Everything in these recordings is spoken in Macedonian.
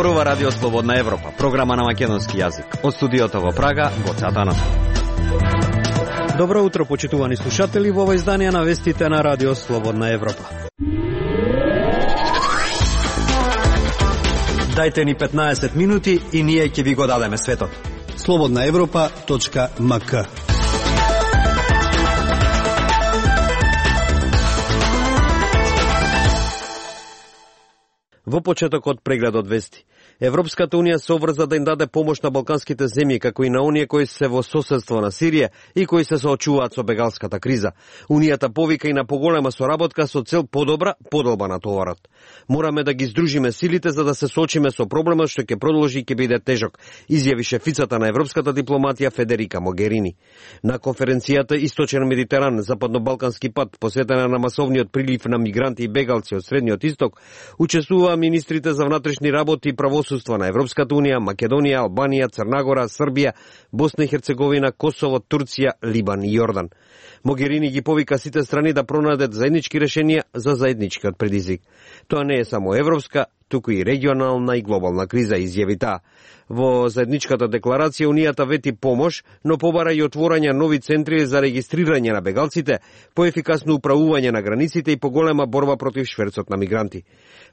Зборува Радио Слободна Европа, програма на македонски јазик. Од студиото во Прага, Гоце Атанасов. Добро утро, почитувани слушатели, во ова издание на вестите на Радио Слободна Европа. Дајте ни 15 минути и ние ќе ви го дадеме светот. slobodnaevropa.mk. Во почетокот прегледот вести. Европската унија се обврза да им даде помош на балканските земји, како и на оние кои се во соседство на Сирија и кои се соочуваат со бегалската криза. Унијата повика и на поголема соработка со цел подобра подолба на товарот. Мораме да ги здружиме силите за да се соочиме со проблемот што ќе продолжи и ќе биде тежок, изјави шефицата на европската дипломатија Федерика Могерини. На конференцијата Источен Медитеран, Западно-Балкански пат, посветена на масовниот прилив на мигранти и бегалци од Средниот Исток, учествуваа министрите за внатрешни работи и правосудство на Европската унија, Македонија, Албанија, Црнагора, Србија, Босна и Херцеговина, Косово, Турција, Либан и Јордан. Могерини ги повика сите страни да пронајдат заеднички решенија за заедничкиот предизвик. Тоа не е само европска, туку и регионална и глобална криза, изјави таа. Во заедничката декларација Унијата вети помош, но побара и отворање нови центри за регистрирање на бегалците, поефикасно управување на границите и поголема борба против шверцот на мигранти.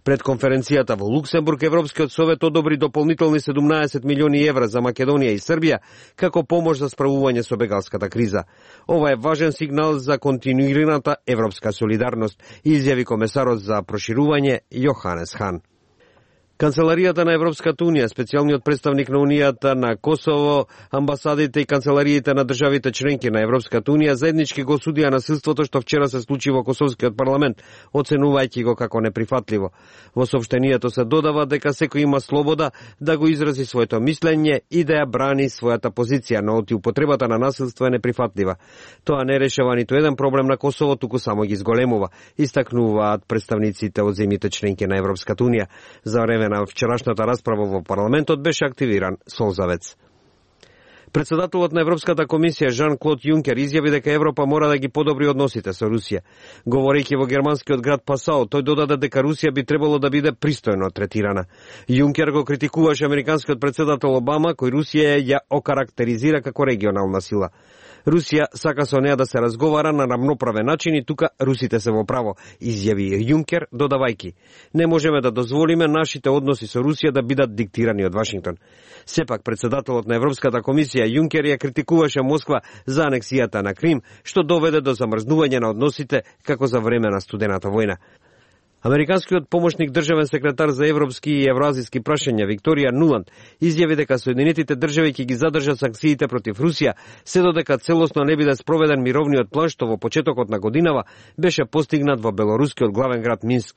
Пред конференцијата во Луксембург, Европскиот совет одобри дополнителни 17 милиони евра за Македонија и Србија како помош за справување со бегалската криза. Ова е важен сигнал за континуираната европска солидарност, изјави комесарот за проширување Јоханес Хан. Канцеларијата на Европската унија, специјалниот представник на Унијата на Косово, амбасадите и канцелариите на државите членки на Европската унија заеднички го осудија насилството што вчера се случи во Косовскиот парламент, оценувајќи го како неприфатливо. Во соопштенијето се додава дека секој има слобода да го изрази своето мислење и да ја брани својата позиција, но употребата на насилство е неприфатлива. Тоа не решава ниту еден проблем на Косово, туку само ги зголемува, истакнуваат представниците од земјите членки на Европската унија. За време на вчерашната расправа во парламентот беше активиран солзавец. Председателот на Европската комисија Жан-Клод Јункер изјави дека Европа мора да ги подобри односите со Русија. Говорејќи во германскиот град Пасао, тој додаде дека Русија би требало да биде пристојно третирана. Јункер го критикуваше американскиот председател Обама, кој Русија ја окарактеризира како регионална сила. Русија сака со неа да се разговара на рамноправен начин и тука русите се во право, изјави Јункер, додавајќи: не можеме да дозволиме нашите односи со Русија да бидат диктирани од Вашингтон. Сепак председателот на Европската комисија Јункер ја критикуваше Москва за анексијата на Крим, што доведе до замрзнување на односите како за време на студената војна. Американскиот помошник државен секретар за европски и евроазиски прашања Викторија Нуланд изјави дека Соединетите држави ќе ги задржат санкциите против Русија, се додека целосно не биде спроведен мировниот план што во почетокот на годинава беше постигнат во белорускиот главен град Минск.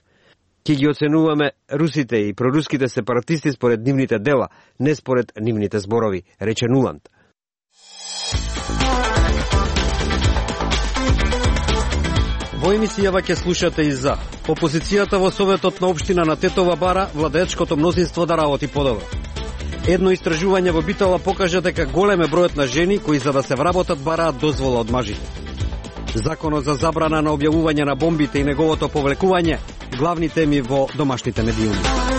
Ќе ги оценуваме русите и проруските сепаратисти според нивните дела, не според нивните зборови, рече Нуланд. Во емисијава ќе слушате и за опозицијата во Советот на општина на Тетова бара владеечкото мнозинство да работи подобро. Едно истражување во Битола покажа дека голем е бројот на жени кои за да се вработат бараат дозвола од мажите. Законот за забрана на објавување на бомбите и неговото повлекување, главни теми во домашните медиуми.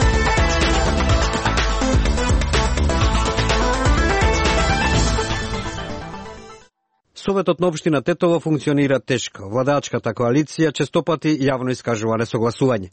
Советот на општина Тетово функционира тешко. Владеачката коалиција честопати јавно искажува несогласување.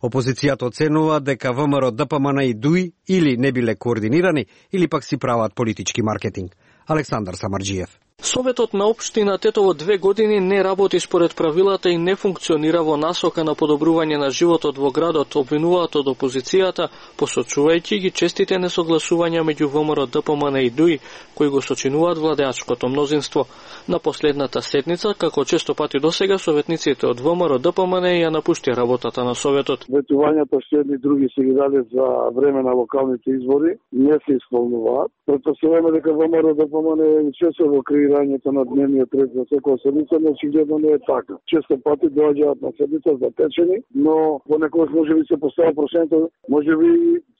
Опозицијата оценува дека ВМРО, ДПМН и ДУИ или не биле координирани, или пак си прават политички маркетинг. Александар Самарџиев. Советот на општина Тетово 2 години не работи според правилата и не функционира во насока на подобрување на животот во градот, обвинуваат од опозицијата, посочувајќи ги честите несогласувања меѓу ВМРО, ДПМН и ДУИ, кои го сочинуваат владеачкото мнозинство. На последната седница, како често пати досега, советниците од ВМРО, ДПМН ја напушти работата на Советот. Ветувањата што едни други се ги даде за време на локалните избори не се исполнуваат. Претпоставуваме дека ВМРО, ДПМН учествува во креирањето на дневниот ред за секоја седница, но очигледно не е така. Често пати доаѓаат на седница затечени, но понекогаш може би се поставя прошенето, може би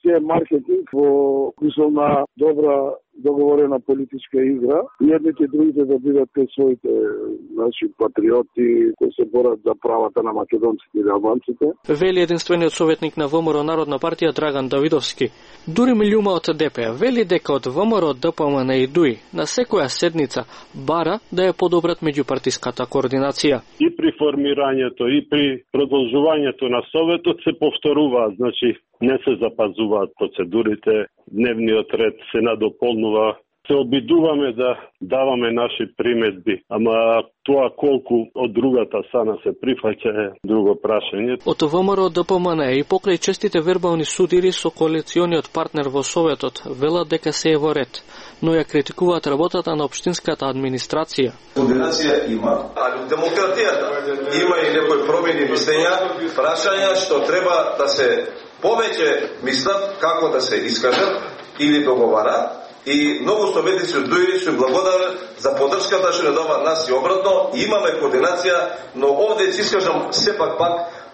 се маркетинг во смисол на добра договорена политичка игра и едните и другите да бидат кај своите наши патриоти кои се борат за правата на македонците и албанците. Вели единствениот советник на ВМРО Народна партија Драган Давидовски. Дури Милјума од ДП вели дека од ВМРО, ДПМН и ДУИ на секоја седница бара да ја подобрат меѓупартиската координација. И при формирањето и при продолжувањето на советот се повторуваат, значи не се запазуваат процедурите, дневниот ред се надополнува. Се обидуваме да даваме наши приметби, ама тоа колку од другата страна се прифаќа е друго прашање. Од ВМРО ДПМН и покрај честите вербални судири со коалициониот партнер во Советот велат дека се е во ред, но ја критикуваат работата на општинската администрација. Координација има, а демократијата има и некои промени мислења, прашања што треба да се повеќе мислат како да се искажат или договарат. И многу советници од ДУИ се благодарат за поддршката што не дава нас и обратно. Имаме координација, но овде ќе искажам сепак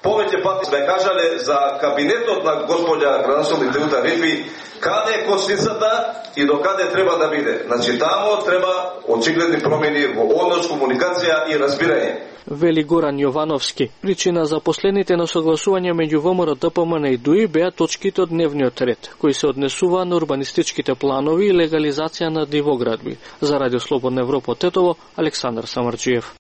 повеќе пати сме кажале за кабинетот на господја градоначелник Теута Рифи, каде е косницата и до каде треба да биде. Значи таму треба очигледни промени во однос, комуникација и разбирање. Вели Горан Јовановски. Причина за последните несогласувања меѓу ВМРО, ДПМН и ДУИ беа точките од дневниот ред, кои се однесува на урбанистичките планови и легализација на дивоградби. За Радио Слободна Европа од Тетово, Александар Самарджиев.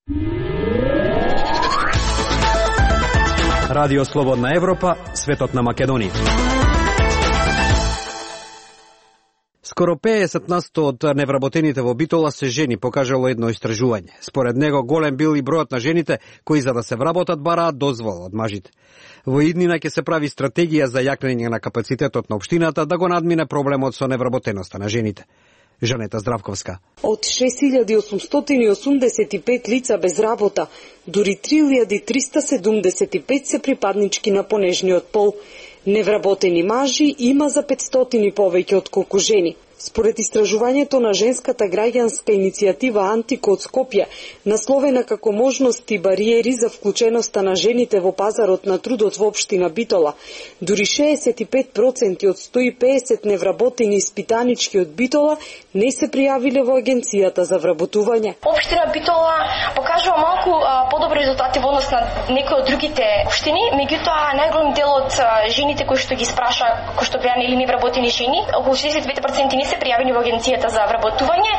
Радио Слободна Европа, светот на Македонија. Скоро 50% од невработените во Битола се жени, покажало едно истражување. Според него голем бил и бројот на жените кои за да се вработат бараат дозвола од мажите. Во иднина ќе се прави стратегија за јакнење на капацитетот на општината да го надмине проблемот со невработеноста на жените. Жанета Здравковска. Од 6885 лица без работа, дури 3375 се припаднички на понежниот пол. Невработени мажи има за 500 повеќе од колку жени. Според истражувањето на женската граѓанска иницијатива Антико од Скопје, насловена како можности и бариери за вклученоста на жените во пазарот на трудот во општина Битола, дури 65% од 150 невработени испитанички од Битола не се пријавиле во агенцијата за вработување. Општина Битола покажува малку подобри резултати во однос на некои од другите општини, меѓутоа најголем дел од жените кои што ги спраша, кои што беа или невработени жени, околу 62% не се пријавени во агенцијата за вработување,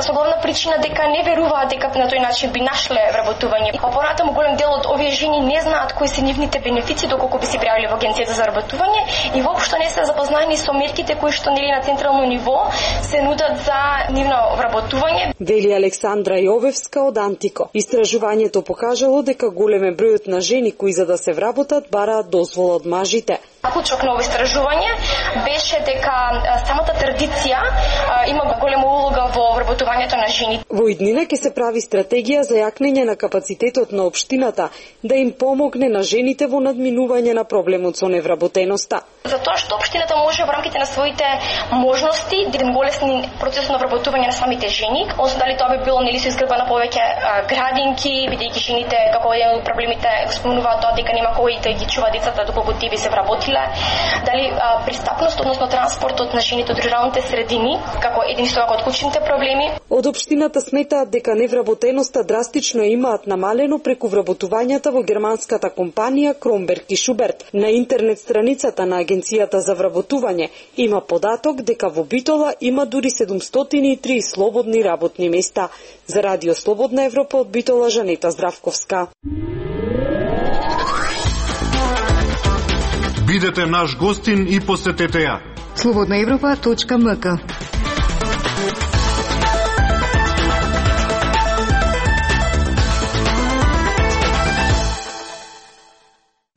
со главна причина дека не веруваат дека на тој начин би нашле вработување. Понатаму голем дел од овие жени не знаат кои се нивните бенефици доколку би се пријавиле во агенцијата за вработување и воопшто не се запознати со мерките кои што нели на централно ниво се нудат за нивно вработување. Вели Александра Јовевска од Антико. Истражувањето покажало дека голем е бројот на жени кои за да се вработат бараат дозвола од мажите. Клучок на ово истражување беше дека самата традиција има голема улога во вработувањето на жени. Во иднина ќе се прави стратегија за јакнење на капацитетот на општината да им помогне на жените во надминување на проблемот со невработеноста. Затоа што општината може во рамките на своите можности да им голесни процесот на вработување на самите жени, односно дали тоа би било нели со изградба на повеќе градинки, бидејќи жените како еден од проблемите спомнуваат тоа дека нема кој да ги чува децата доколку тие би се вработиле, дали пристапност, односно транспортот на жените од руралните средини, како еден исто од клучните проблеми. Од општината сметаат дека невработеноста драстично имаат намалено преку вработувањата во германската компанија Кромберг и Шуберт. На интернет страницата на агенцијата за вработување има податок дека во Битола има дури 703 слободни работни места. За Радио Слободна Европа од Битола, Жанета Здравковска. Бидете наш гостин и посетете ја. slobodnaevropa.mk.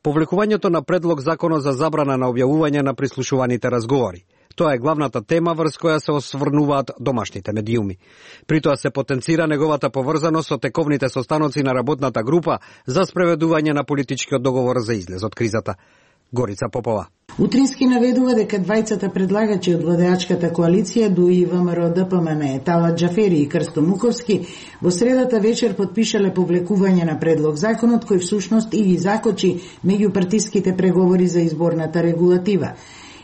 Повлекувањето на предлог законот за забрана на објавување на прислушуваните разговори. Тоа е главната тема врз која се осврнуваат домашните медиуми. При тоа се потенцира неговата поврзаност со тековните состаноци на работната група за спроведување на политичкиот договор за излез од кризата. Горица Попова. Утрински наведува дека двајцата предлагачи од владеачката коалиција ДУИ, ВМРО, ДПМН, Талат Џафери и Крсто Муковски во средата вечер подпишале повлекување на предлог законот кој всушност и ги закочи меѓупартиските преговори за изборната регулатива.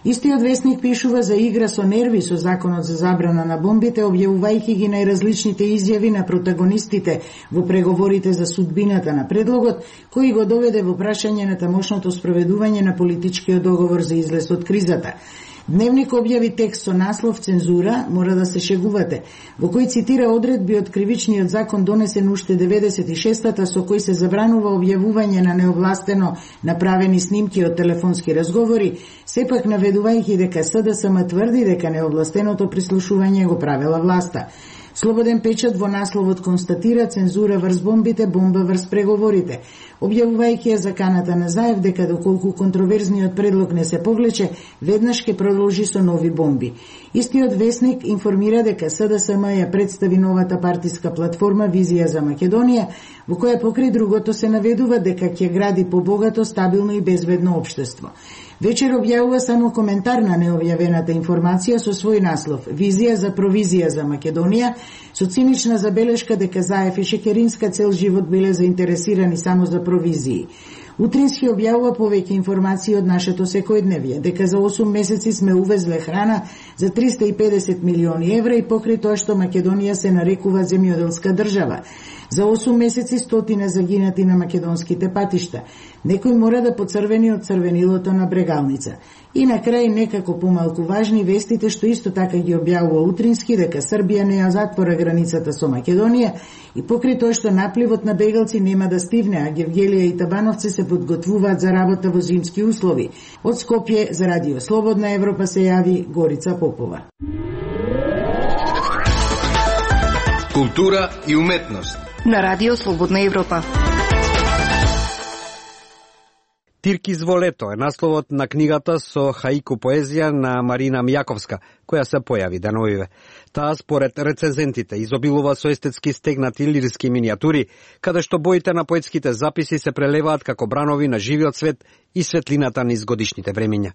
Истиот весник пишува за игра со нерви со законот за забрана на бомбите, објавувајќи ги најразличните изјави на протагонистите во преговорите за судбината на предлогот, кој го доведе во прашање на тамошното спроведување на политичкиот договор за излез од кризата. Дневник објави текст со наслов «Цензура, мора да се шегувате», во кој цитира одредби од кривичниот закон донесен уште 96-та, со кој се забранува објавување на неовластено направени снимки од телефонски разговори, сепак наведувајќи дека СДСМ тврди дека неовластеното прислушување го правела власта. Слободен печат во насловот констатира цензура врз бомбите, бомба врз преговорите, објавувајќи ја заканата на Заев дека доколку контроверзниот предлог не се повлече, веднаш ќе продолжи со нови бомби. Истиот весник информира дека СДСМ ја представи новата партиска платформа Визија за Македонија, во која покрај другото се наведува дека ќе гради побогато, стабилно и безбедно општество. Вечер објавува само коментар на необјавената информација со свој наслов «Визија за провизија за Македонија», со цинична забелешка дека Заев и Шекеринска цел живот биле заинтересирани само за провизии. Утрински објавува повеќе информации од нашето секојдневие, дека за 8 месеци сме увезле храна за 350 милиони евра и покрај тоа што Македонија се нарекува земјоделска држава. За 8 месеци стотина загинати на македонските патишта. Некој мора да поцрвени од црвенилото на Брегалница. И на крај некако помалку важни вестите што исто така ги објавува Утрински дека Србија не ја затвора границата со Македонија и покрај тоа што напливот на бегалци нема да стивне, а Гевгелија и Табановци се подготвуваат за работа во зимски услови. Од Скопје за Радио Слободна Европа се јави Горица Попова. Култура и уметност на Радио Слободна Европа. Тиркис во лето е насловот на книгата со хаику поезија на Марина Мјаковска, која се појави деновиве. Таа според рецензентите изобилува со естетски стегнати лирски минијатури, каде што боите на поетските записи се прелеваат како бранови на живиот свет и светлината низ годишните времиња.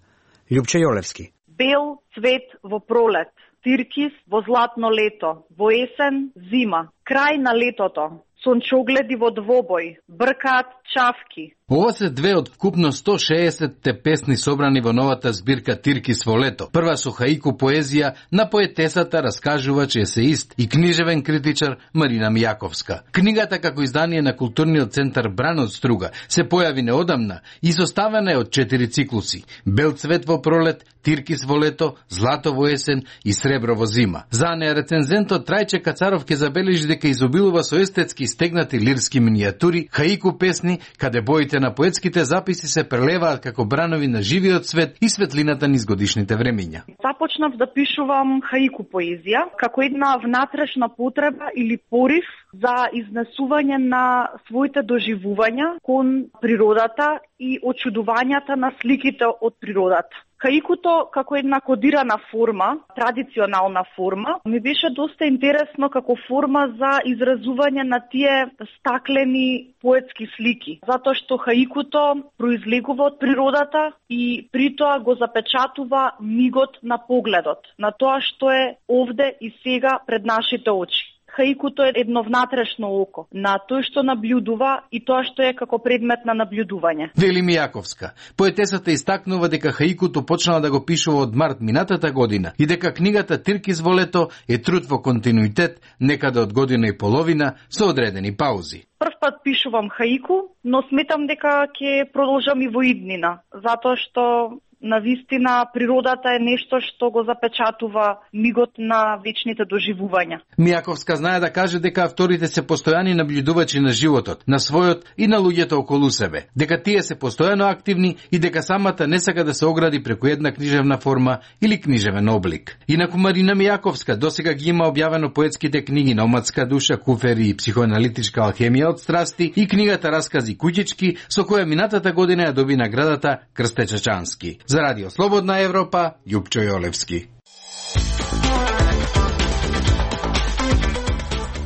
Љупче Јолевски. Бел цвет во пролет, тиркис во златно лето, во есен зима, крај на летото, сончогледи во двобој, бркаат чавки. Ова се две од вкупно 160-те песни собрани во новата збирка Тиркис во лето. Прва со хаику поезија на поетесата, раскажувач, есеист и книжевен критичар Марина Мјаковска. Книгата како издание на културниот центар Бран од Струга се појави неодамна и составена е од 4 циклуси: Бел цвет во пролет, Тиркис во лето, Злато во есен и Сребро во зима. За неа рецензентот Трајче Кацаров ќе забележи дека изобилува со естетски стегнати лирски минијатури, хаику песни, каде боите на поетските записи се прелеваат како бранови на живиот свет и светлината низ годишните времиња. Започнав да пишувам хаику поезија како една внатрешна потреба или порив за изнесување на своите доживувања кон природата и очудувањата на сликите од природата. Хаикуто како една кодирана форма, традиционална форма, ми беше доста интересно како форма за изразување на тие стаклени поетски слики, затоа што хаикуто произлегува од природата и притоа го запечатува мигот на погледот, на тоа што е овде и сега пред нашите очи. Хаикуто е едно внатрешно око на тој што наблюдува и тоа што е како предмет на наблюдување. Вели Мјаковска. Поетесата истакнува дека хаикуто почнала да го пишува од март минатата година и дека книгата Тиркис во лето е труд во континуитет, некаде од година и половина со одредени паузи. Прв пат пишувам хаику, но сметам дека ќе продолжам и во иднина, затоа што навистина природата е нешто што го запечатува мигот на вечните доживувања. Мјаковска знае да каже дека авторите се постојани наблюдувачи на животот, на својот и на луѓето околу себе, дека тие се постојано активни и дека самата не сака да се огради преку една книжевна форма или книжевен облик. Инаку Марина Мјаковска досега ги има објавено поетските книги Номадска душа, Куфери и психоаналитичка алхемија од страсти и книгата Раскази куќички, со која минатата година ја доби наградата Крсте Чачански. За Радио Слободна Европа, Љупчо Јолевски.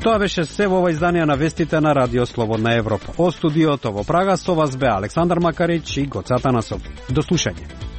Тоа беше се во ова издание на вестите на Радио Слободна Европа. Од студиото во Прага со вас бе Александар Макарич и Гоце Атанасов. До слушање.